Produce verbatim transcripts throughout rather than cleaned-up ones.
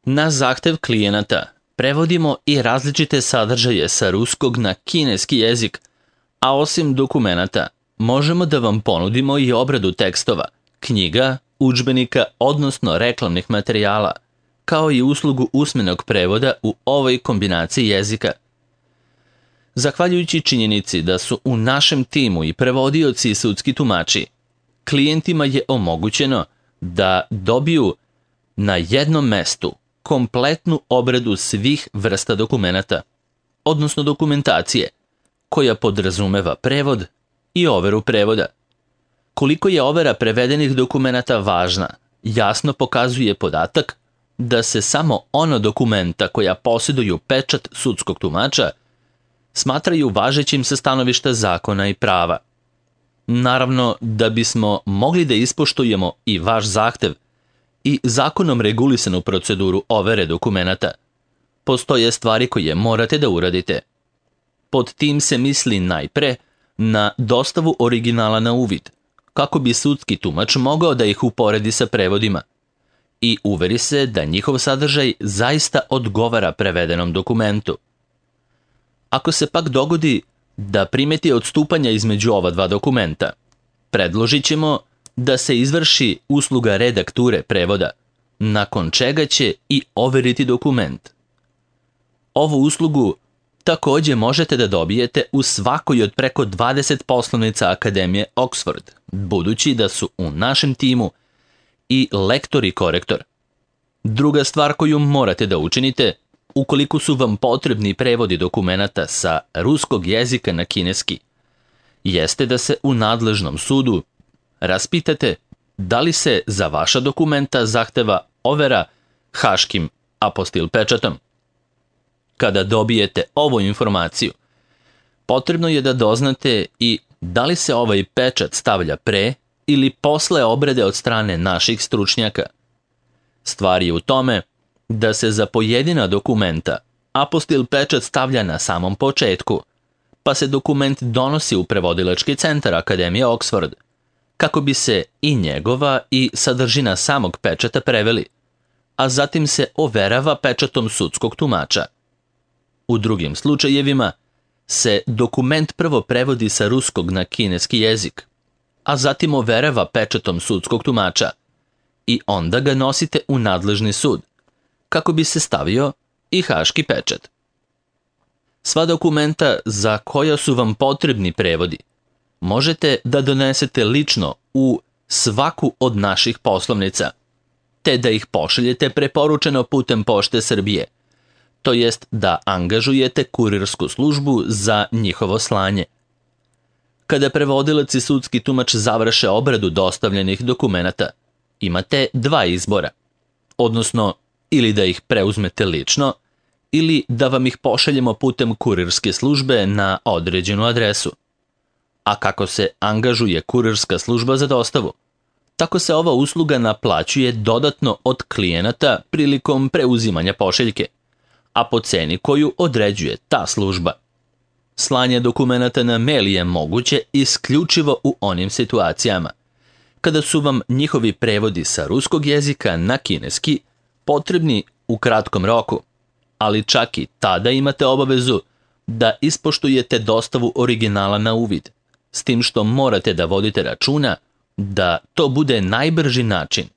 Na zahtev klijenata prevodimo i različite sadržaje sa ruskog na kineski jezik, a osim dokumenata možemo da vam ponudimo i obradu tekstova, knjiga, udžbenika, odnosno reklamnih materijala, kao i uslugu usmenog prevoda u ovoj kombinaciji jezika. Zahvaljujući činjenici da su u našem timu i prevodioci i sudski tumači, klijentima je omogućeno da dobiju na jednom mestu kompletnu obradu svih vrsta dokumenata, odnosno dokumentacije, koja podrazumeva prevod i overu prevoda. Koliko je overa prevedenih dokumenata važna, jasno pokazuje podatak da se samo ono dokumenta koja posjeduju pečat sudskog tumača smatraju važećim sa stanovišta zakona i prava. Naravno, da bismo mogli da ispoštujemo i vaš zahtev i zakonom regulisanu proceduru overe dokumenata, postoje stvari koje morate da uradite. Pod tim se misli najpre na dostavu originala na uvid, kako bi sudski tumač mogao da ih uporedi sa prevodima i uveri se da njihov sadržaj zaista odgovara prevedenom dokumentu. Ako se pak dogodi da primeti odstupanja između ova dva dokumenta, predložit ćemo da se izvrši usluga redakture prevoda, nakon čega će i overiti dokument. Ovu uslugu takođe možete da dobijete u svakoj od preko dvadeset poslovnica Akademije Oxford, budući da su u našem timu i lektor i korektor. Druga stvar koju morate da učinite, ukoliko su vam potrebni prevodi dokumenata sa ruskog jezika na kineski, jeste da se u nadležnom sudu raspitate da li se za vaša dokumenta zahteva overa haškim apostil pečatom. Kada dobijete ovu informaciju, potrebno je da doznate i da li se ovaj pečat stavlja pre ili posle obrade od strane naših stručnjaka. Stvar je u tome da se za pojedina dokumenta apostil pečat stavlja na samom početku, pa se dokument donosi u prevodilački centar Akademije Oxford, kako bi se i njegova i sadržina samog pečata preveli, a zatim se overava pečatom sudskog tumača. U drugim slučajevima se dokument prvo prevodi sa ruskog na kineski jezik, a zatim overava pečatom sudskog tumača i onda ga nosite u nadležni sud, kako bi se stavio i haški pečat. Sva dokumenta za koja su vam potrebni prevodi možete da donesete lično u svaku od naših poslovnica, te da ih pošaljete preporučeno putem Pošte Srbije, to jest da angažujete kurirsku službu za njihovo slanje. Kada prevodilac i sudski tumač završe obradu dostavljenih dokumenata, imate dva izbora, odnosno ili da ih preuzmete lično, ili da vam ih pošaljemo putem kurirske službe na određenu adresu. A kako se angažuje kurirska služba za dostavu, tako se ova usluga naplaćuje dodatno od klijenata prilikom preuzimanja pošiljke, a po ceni koju određuje ta služba. Slanje dokumenata na mail je moguće isključivo u onim situacijama kada su vam njihovi prevodi sa ruskog jezika na kineski potrebni u kratkom roku, ali čak i tada imate obavezu da ispoštujete dostavu originala na uvid, s tim što morate da vodite računa da to bude najbrži način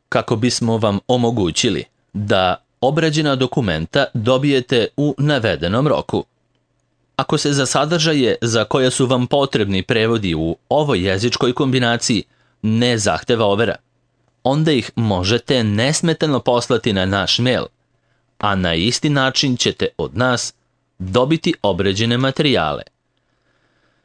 kako bismo vam omogućili da obrađena dokumenta dobijete u navedenom roku. Ako se za sadržaje za koje su vam potrebni prevodi u ovoj jezičkoj kombinaciji ne zahteva overa, onda ih možete nesmetano poslati na naš mail, a na isti način ćete od nas dobiti obrađene materijale.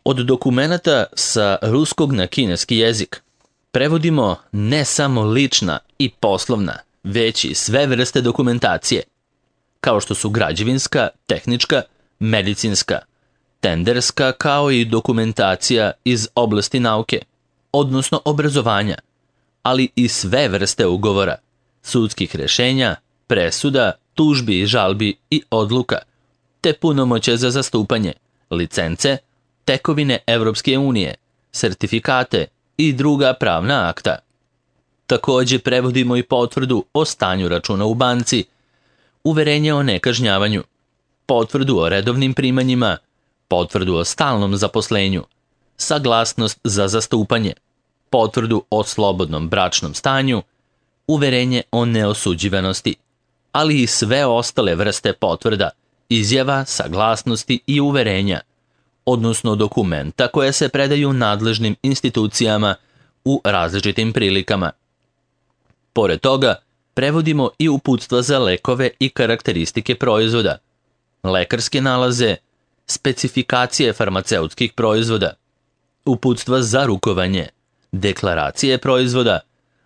Od dokumenata sa ruskog na kineski jezik prevodimo ne samo lična i poslovna, već i sve vrste dokumentacije, kao što su građevinska, tehnička, medicinska, tenderska, kao i dokumentacija iz oblasti nauke, odnosno obrazovanja, ali i sve vrste ugovora, sudskih rešenja, presuda, tužbi i žalbi i odluka, te punomoće za zastupanje, licence, tekovine Evropske unije, sertifikate i druga pravna akta. Takođe prevodimo i potvrdu o stanju računa u banci uverenje o nekažnjavanju, potvrdu o redovnim primanjima, potvrdu o stalnom zaposlenju, saglasnost za zastupanje, potvrdu o slobodnom bračnom stanju, uverenje o neosuđivanosti, ali i sve ostale vrste potvrda, izjava, saglasnosti i uverenja, odnosno dokumenta koje se predaju nadležnim institucijama u različitim prilikama. Pored toga, prevodimo i uputstva za lekove i karakteristike proizvoda, lekarske nalaze, specifikacije farmaceutskih proizvoda, uputstva za rukovanje, deklaracije proizvoda,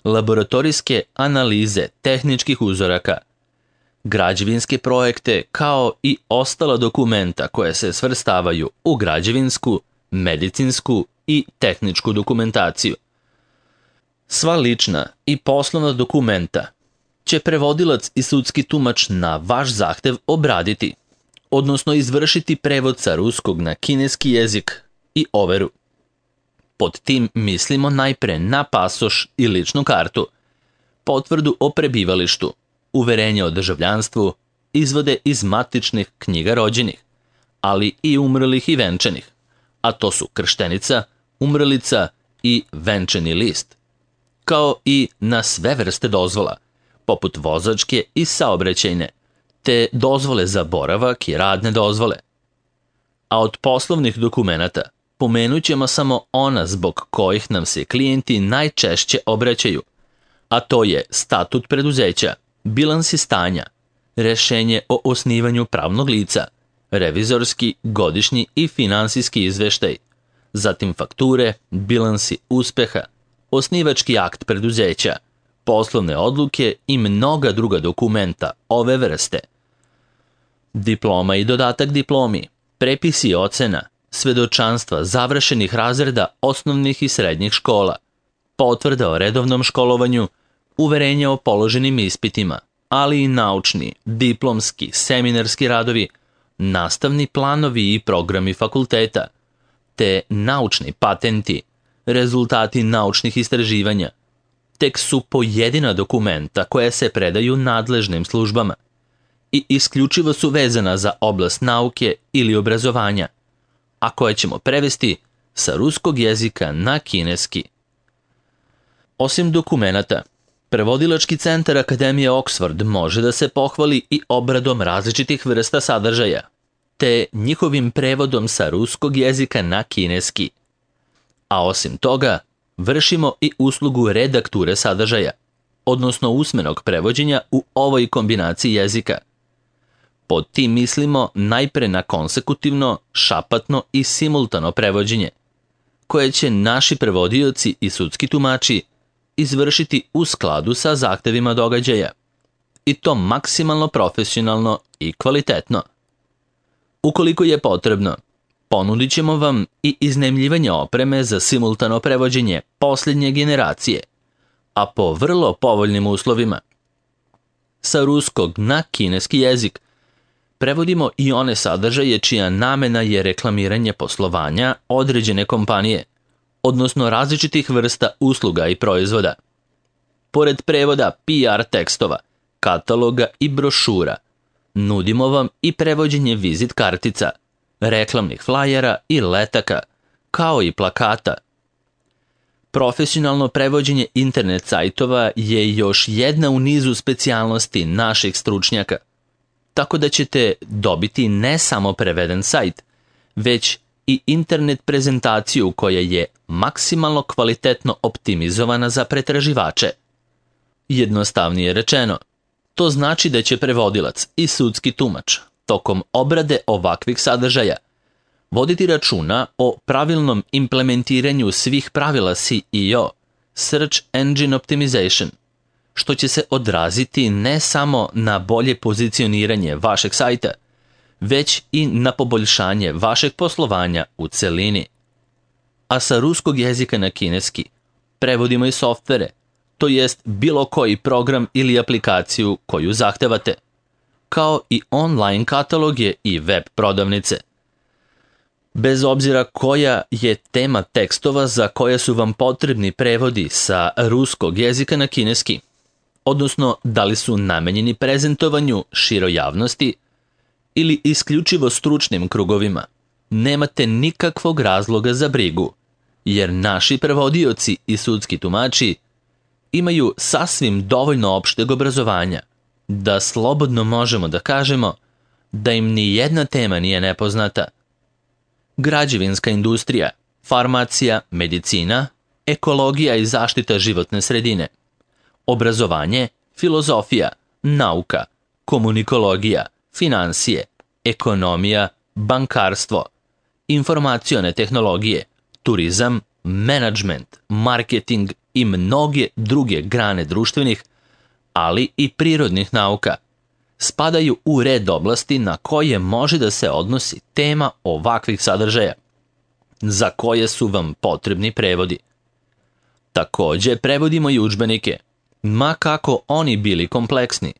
laboratorijske analize tehničkih uzoraka, građevinske projekte kao i ostala dokumenta koje se svrstavaju u građevinsku, medicinsku i tehničku dokumentaciju. Sva lična i poslovna dokumenta će prevodilac i sudski tumač na vaš zahtev obraditi, odnosno izvršiti prevod sa ruskog na kineski jezik i overu. Pod tim mislimo najpre na pasoš i ličnu kartu, potvrdu o prebivalištu, uverenje o državljanstvu, izvode iz matičnih knjiga rođenih, ali i umrlih i venčanih, a to su krštenica, umrlica i venčani list, kao i na sve vrste dozvola, poput vozačke i saobraćajne, te dozvole za boravak i radne dozvole. A od poslovnih dokumenata pomenut ćemo samo ona zbog kojih nam se klijenti najčešće obraćaju, a to je statut preduzeća, bilansi stanja, rešenje o osnivanju pravnog lica, revizorski, godišnji i finansijski izveštaj, zatim fakture, bilansi uspeha, osnivački akt preduzeća, poslovne odluke i mnoga druga dokumenta ove vrste. Diploma i dodatak diplomi, prepisi ocena, svedočanstva završenih razreda osnovnih i srednjih škola, potvrda o redovnom školovanju, uverenje o položenim ispitima, ali i naučni, diplomski, seminarski radovi, nastavni planovi i programi fakulteta, te naučni patenti, rezultati naučnih istraživanja, tek su pojedina dokumenta koje se predaju nadležnim službama i isključivo su vezana za oblast nauke ili obrazovanja, a koje ćemo prevesti sa ruskog jezika na kineski. Osim dokumenata, prevodilački centar Akademije Oxford može da se pohvali i obradom različitih vrsta sadržaja, te njihovim prevodom sa ruskog jezika na kineski. A osim toga, vršimo i uslugu redakture sadržaja, odnosno usmenog prevođenja u ovoj kombinaciji jezika. Pod tim mislimo najpre na konsekutivno, šapatno i simultano prevođenje, koje će naši prevodioci i sudski tumači izvršiti u skladu sa zahtevima događaja, i to maksimalno profesionalno i kvalitetno. Ukoliko je potrebno, ponudit ćemo vam i iznajmljivanje opreme za simultano prevođenje posljednje generacije, a po vrlo povoljnim uslovima. Sa ruskog na kineski jezik prevodimo i one sadržaje čija namena je reklamiranje poslovanja određene kompanije, odnosno različitih vrsta usluga i proizvoda. Pored prevoda P R tekstova, kataloga i brošura, nudimo vam i prevođenje vizit kartica, reklamnih flajera i letaka, kao i plakata. Profesionalno prevođenje internet sajtova je još jedna u nizu specijalnosti naših stručnjaka, tako da ćete dobiti ne samo preveden sajt, već i internet prezentaciju koja je maksimalno kvalitetno optimizovana za pretraživače. Jednostavnije rečeno, to znači da će prevodilac i sudski tumač tokom obrade ovakvih sadržaja voditi računa o pravilnom implementiranju svih pravila S E O, Search Engine Optimization, što će se odraziti ne samo na bolje pozicioniranje vašeg sajta, već i na poboljšanje vašeg poslovanja u celini. A sa ruskog jezika na kineski prevodimo i softvere, to jest bilo koji program ili aplikaciju koju zahtevate, kao i online kataloge i web prodavnice. Bez obzira koja je tema tekstova za koje su vam potrebni prevodi sa ruskog jezika na kineski, odnosno da li su namenjeni prezentovanju široj javnosti ili isključivo stručnim krugovima, nemate nikakvog razloga za brigu, jer naši prevodioci i sudski tumači imaju sasvim dovoljno opšteg obrazovanja da slobodno možemo da kažemo da im ni jedna tema nije nepoznata. Građevinska industrija, farmacija, medicina, ekologija i zaštita životne sredine, obrazovanje, filozofija, nauka, komunikologija, finansije, ekonomija, bankarstvo, informacione tehnologije, turizam, menadžment, marketing i mnoge druge grane društvenih, ali i prirodnih nauka, spadaju u red oblasti na koje može da se odnosi tema ovakvih sadržaja, za koje su vam potrebni prevodi. Takođe, prevodimo i udžbenike, ma kako oni bili kompleksni,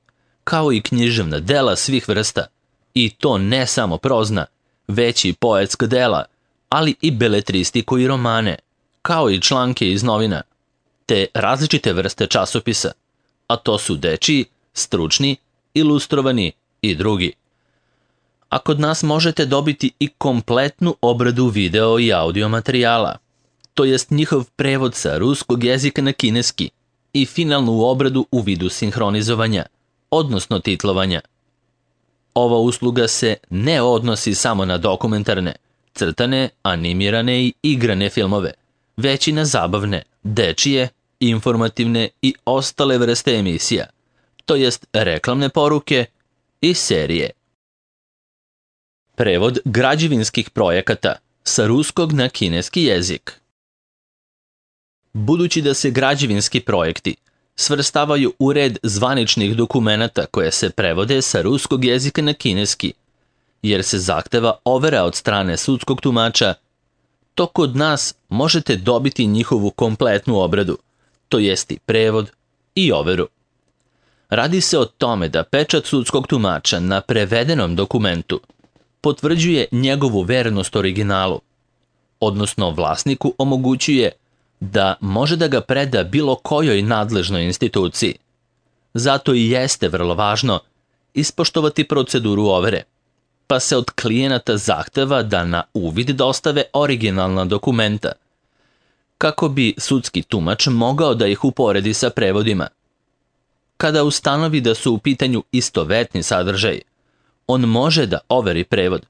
kao i književna dela svih vrsta, i to ne samo prozna, već i poetska dela, ali i beletristiku i romane, kao i članke iz novina, te različite vrste časopisa, a to su dečiji, stručni, ilustrovani i drugi. A kod nas možete dobiti i kompletnu obradu video i audio materijala, to jest njihov prevod sa ruskog jezika na kineski i finalnu obradu u vidu sinhronizovanja, odnosno titlovanja. Ova usluga se ne odnosi samo na dokumentarne, crtane, animirane i igrane filmove, već i na zabavne, dečije, informativne i ostale vrste emisija, to jest reklamne poruke i serije. Prevod građevinskih projekata sa ruskog na kineski jezik. Budući da se građevinski projekti svrstavaju u red zvaničnih dokumenata koje se prevode sa ruskog jezika na kineski, jer se zahteva overa od strane sudskog tumača, to kod nas možete dobiti njihovu kompletnu obradu, to jest i prevod i overu. Radi se o tome da pečat sudskog tumača na prevedenom dokumentu potvrđuje njegovu vernost originalu, odnosno vlasniku omogućuje da može da ga preda bilo kojoj nadležnoj instituciji. Zato i jeste vrlo važno ispoštovati proceduru overe, pa se od klijenata zahteva da na uvid dostave originalna dokumenta, kako bi sudski tumač mogao da ih uporedi sa prevodima. Kada ustanovi da su u pitanju istovetni sadržaj, on može da overi prevod,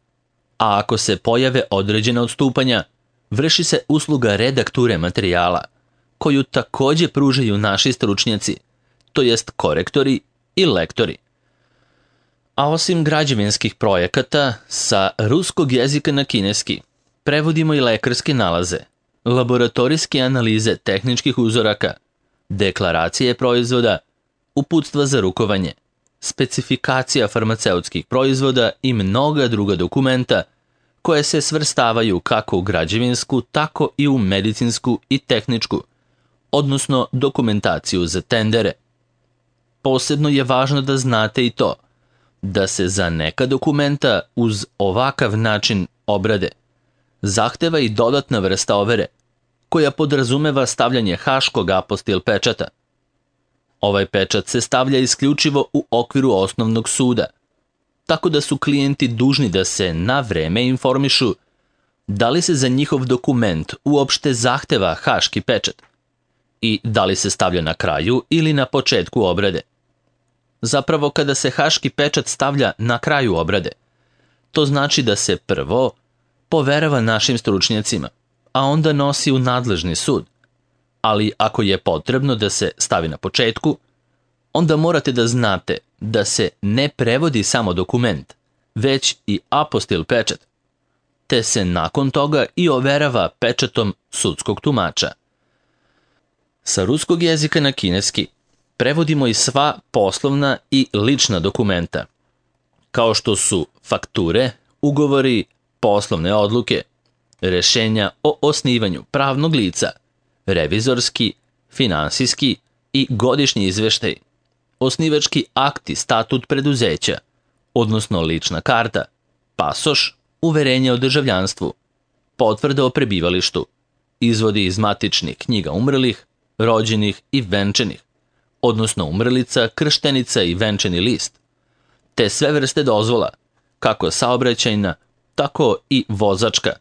a ako se pojave određene odstupanja, vrši se usluga redakture materijala, koju takođe pružaju naši stručnjaci, to jest korektori i lektori. A osim građevinskih projekata, sa ruskog jezika na kineski prevodimo i lekarske nalaze, laboratorijske analize tehničkih uzoraka, deklaracije proizvoda, uputstva za rukovanje, specifikacija farmaceutskih proizvoda i mnoga druga dokumenta koje se svrstavaju kako u građevinsku, tako i u medicinsku i tehničku, odnosno dokumentaciju za tendere. Posebno je važno da znate i to, da se za neka dokumenta uz ovakav način obrade zahteva i dodatna vrsta overe, koja podrazumeva stavljanje haškog apostil pečata. Ovaj pečat se stavlja isključivo u okviru osnovnog suda, tako da su klijenti dužni da se na vreme informišu da li se za njihov dokument uopšte zahteva haški pečat i da li se stavlja na kraju ili na početku obrade. Zapravo, kada se haški pečat stavlja na kraju obrade, to znači da se prvo poverava našim stručnjacima, a onda nosi u nadležni sud. Ali ako je potrebno da se stavi na početku, onda morate da znate da se ne prevodi samo dokument, već i apostil pečat, te se nakon toga i overava pečatom sudskog tumača. Sa ruskog jezika na kineski prevodimo i sva poslovna i lična dokumenta, kao što su fakture, ugovori, poslovne odluke, rešenja o osnivanju pravnog lica, revizorski, finansijski i godišnji izveštaj, osnivački akti, statut preduzeća, odnosno lična karta, pasoš, uverenje o državljanstvu, potvrda o prebivalištu, izvodi iz matičnih knjiga umrlih, rođenih i venčanih, odnosno umrlica, krštenica i venčani list, te sve vrste dozvola, kako saobraćajna, tako i vozačka,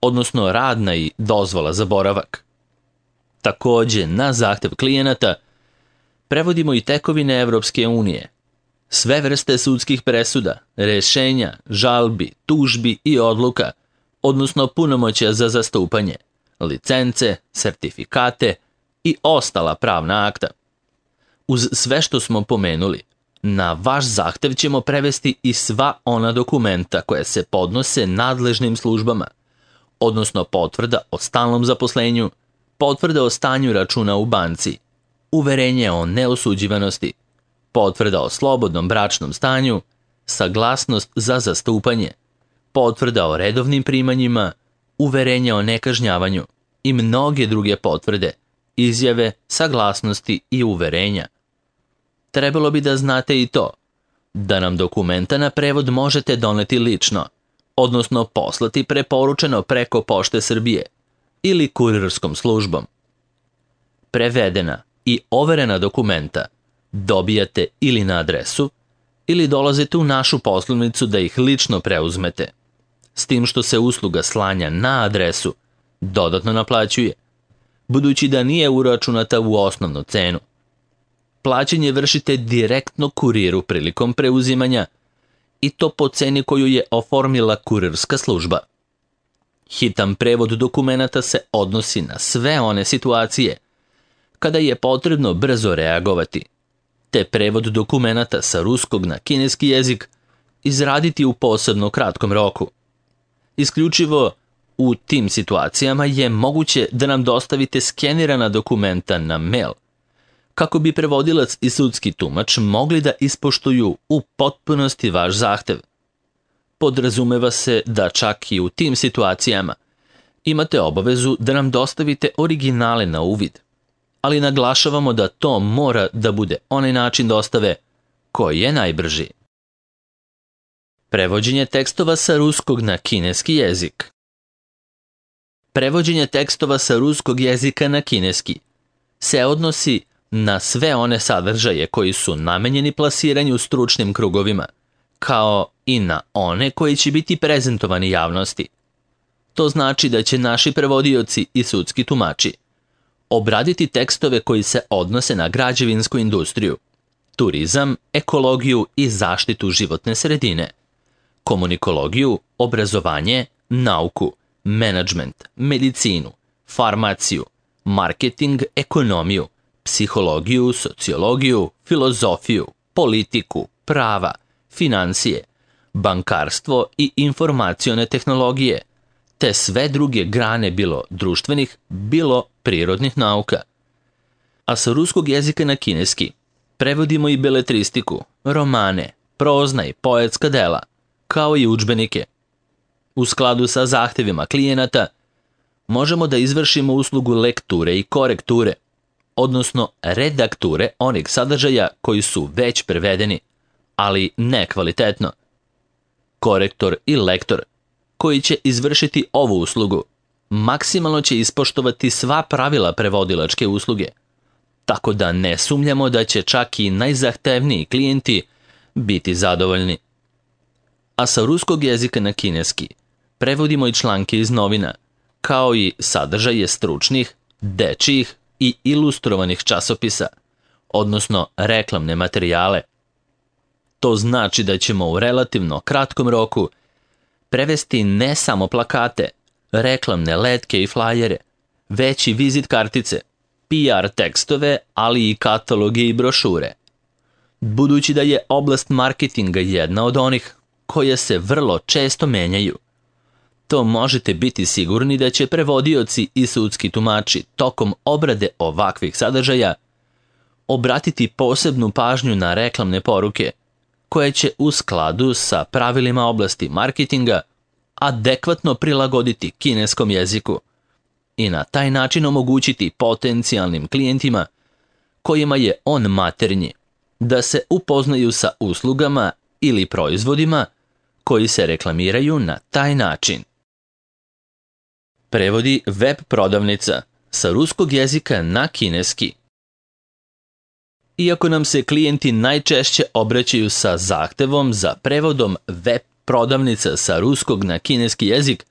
odnosno radna i dozvola za boravak. Takođe, na zahtev klijenata prevodimo i tekovine Evropske unije, sve vrste sudskih presuda, rešenja, žalbi, tužbi i odluka, odnosno punomoćja za zastupanje, licence, sertifikate i ostala pravna akta. Uz sve što smo pomenuli, na vaš zahtev ćemo prevesti i sva ona dokumenta koja se podnose nadležnim službama, odnosno potvrda o stalnom zaposlenju, potvrda o stanju računa u banci, uverenje o neosuđivanosti, potvrda o slobodnom bračnom stanju, saglasnost za zastupanje, potvrda o redovnim primanjima, uverenje o nekažnjavanju i mnoge druge potvrde, izjave, saglasnosti i uverenja. Trebalo bi da znate i to, da nam dokumenta na prevod možete doneti lično, odnosno poslati preporučeno preko Pošte Srbije ili kurirskom službom. Prevedena i overena dokumenta dobijate ili na adresu, ili dolazite u našu poslovnicu da ih lično preuzmete, s tim što se usluga slanja na adresu dodatno naplaćuje, budući da nije uračunata u osnovnu cenu. Plaćanje vršite direktno kuriru prilikom preuzimanja i to po ceni koju je oformila kurirska služba. Hitan prevod dokumenata se odnosi na sve one situacije kada je potrebno brzo reagovati, te prevod dokumenata sa ruskog na kineski jezik izraditi u posebno kratkom roku. Isključivo u tim situacijama je moguće da nam dostavite skenirana dokumenta na mail, kako bi prevodilac i sudski tumač mogli da ispoštuju u potpunosti vaš zahtev. Podrazumeva se da čak i u tim situacijama imate obavezu da nam dostavite originale na uvid, ali naglašavamo da to mora da bude onaj način dostave koji je najbrži. Prevođenje tekstova sa ruskog na kineski jezik. Prevođenje tekstova sa ruskog jezika na kineski se odnosi na sve one sadržaje koji su namenjeni plasiranju stručnim krugovima, kao i na one koji će biti prezentovani javnosti. To znači da će naši prevodioci i sudski tumači obraditi tekstove koji se odnose na građevinsku industriju, turizam, ekologiju i zaštitu životne sredine, komunikologiju, obrazovanje, nauku, menadžment, medicinu, farmaciju, marketing, ekonomiju, psihologiju, sociologiju, filozofiju, politiku, prava, financije, bankarstvo i informacione tehnologije, te sve druge grane bilo društvenih, bilo prirodnih nauka. A sa ruskog jezika na kineski prevodimo i beletristiku, romane, prozna i poetska dela, kao i udžbenike. U skladu sa zahtevima klijenata možemo da izvršimo uslugu lekture i korekture, odnosno redakture onih sadržaja koji su već prevedeni, ali ne kvalitetno. Korektor i lektor koji će izvršiti ovu uslugu maksimalno će ispoštovati sva pravila prevodilačke usluge, tako da ne sumnjamo da će čak i najzahtevniji klijenti biti zadovoljni. A sa ruskog jezika na kineski prevodimo i članke iz novina, kao i sadržaje stručnih, dečijih i ilustrovanih časopisa, odnosno reklamne materijale. To znači da ćemo u relativno kratkom roku prevesti ne samo plakate, reklamne letke i flajere, već i vizit kartice, P R tekstove, ali i kataloge i brošure. Budući da je oblast marketinga jedna od onih koje se vrlo često menjaju, to možete biti sigurni da će prevodioci i sudski tumači tokom obrade ovakvih sadržaja obratiti posebnu pažnju na reklamne poruke, koje će u skladu sa pravilima oblasti marketinga adekvatno prilagoditi kineskom jeziku i na taj način omogućiti potencijalnim klijentima kojima je on maternji da se upoznaju sa uslugama ili proizvodima koji se reklamiraju na taj način. Prevodi web prodavnica sa ruskog jezika na kineski. Iako nam se klijenti najčešće obraćaju sa zahtevom za prevodom web prodavnica sa ruskog na kineski jezik,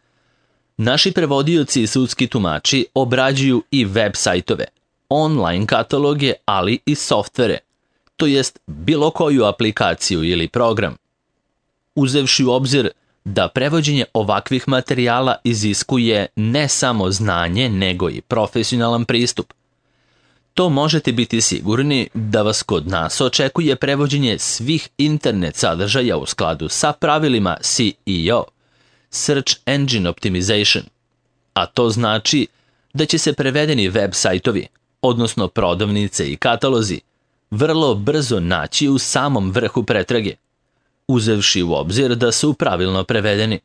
naši prevodioci i sudski tumači obrađuju i web sajtove, online kataloge, ali i softvere, to jest bilo koju aplikaciju ili program. Uzevši u obzir da prevođenje ovakvih materijala iziskuje ne samo znanje, nego i profesionalan pristup, to možete biti sigurni da vas kod nas očekuje prevođenje svih internet sadržaja u skladu sa pravilima S E O, Search Engine Optimization, a to znači da će se prevedeni web sajtovi, odnosno prodavnice i katalozi, vrlo brzo naći u samom vrhu pretrage, uzevši u obzir da su pravilno prevedeni.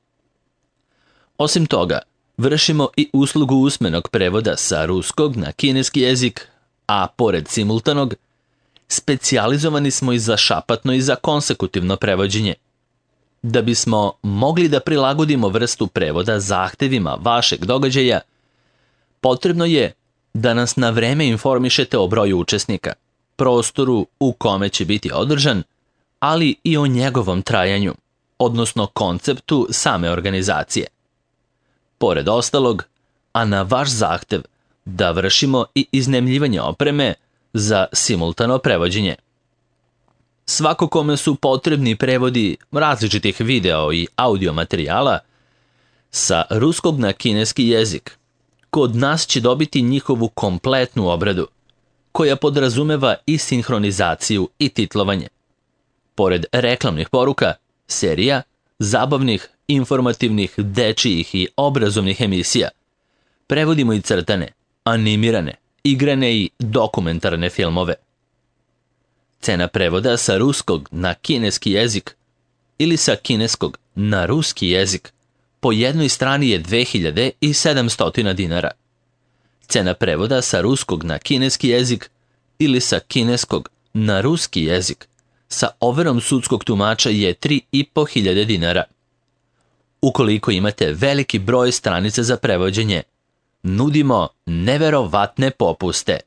Osim toga, vršimo i uslugu usmenog prevoda sa ruskog na kineski jezik, a pored simultanog, specijalizovani smo i za šapatno i za konsekutivno prevođenje. Da bismo mogli da prilagodimo vrstu prevoda zahtevima vašeg događaja, potrebno je da nas na vreme informišete o broju učesnika, prostoru u kome će biti održan, ali i o njegovom trajanju, odnosno konceptu same organizacije. Pored ostalog, a na vaš zahtev, da vršimo i iznajmljivanje opreme za simultano prevođenje. Svako kome su potrebni prevodi različitih video i audio materijala sa ruskog na kineski jezik, kod nas će dobiti njihovu kompletnu obradu, koja podrazumeva i sinhronizaciju i titlovanje. Pored reklamnih poruka, serija, zabavnih, informativnih, dečijih i obrazovnih emisija, prevodimo i crtane, animirane, igrane i dokumentarne filmove. Cena prevoda sa ruskog na kineski jezik ili sa kineskog na ruski jezik po jednoj strani je dve hiljade sedamsto dinara. Cena prevoda sa ruskog na kineski jezik ili sa kineskog na ruski jezik sa overom sudskog tumača je tri i po hiljade dinara. Ukoliko imate veliki broj stranica za prevođenje, nudimo neverovatne popuste.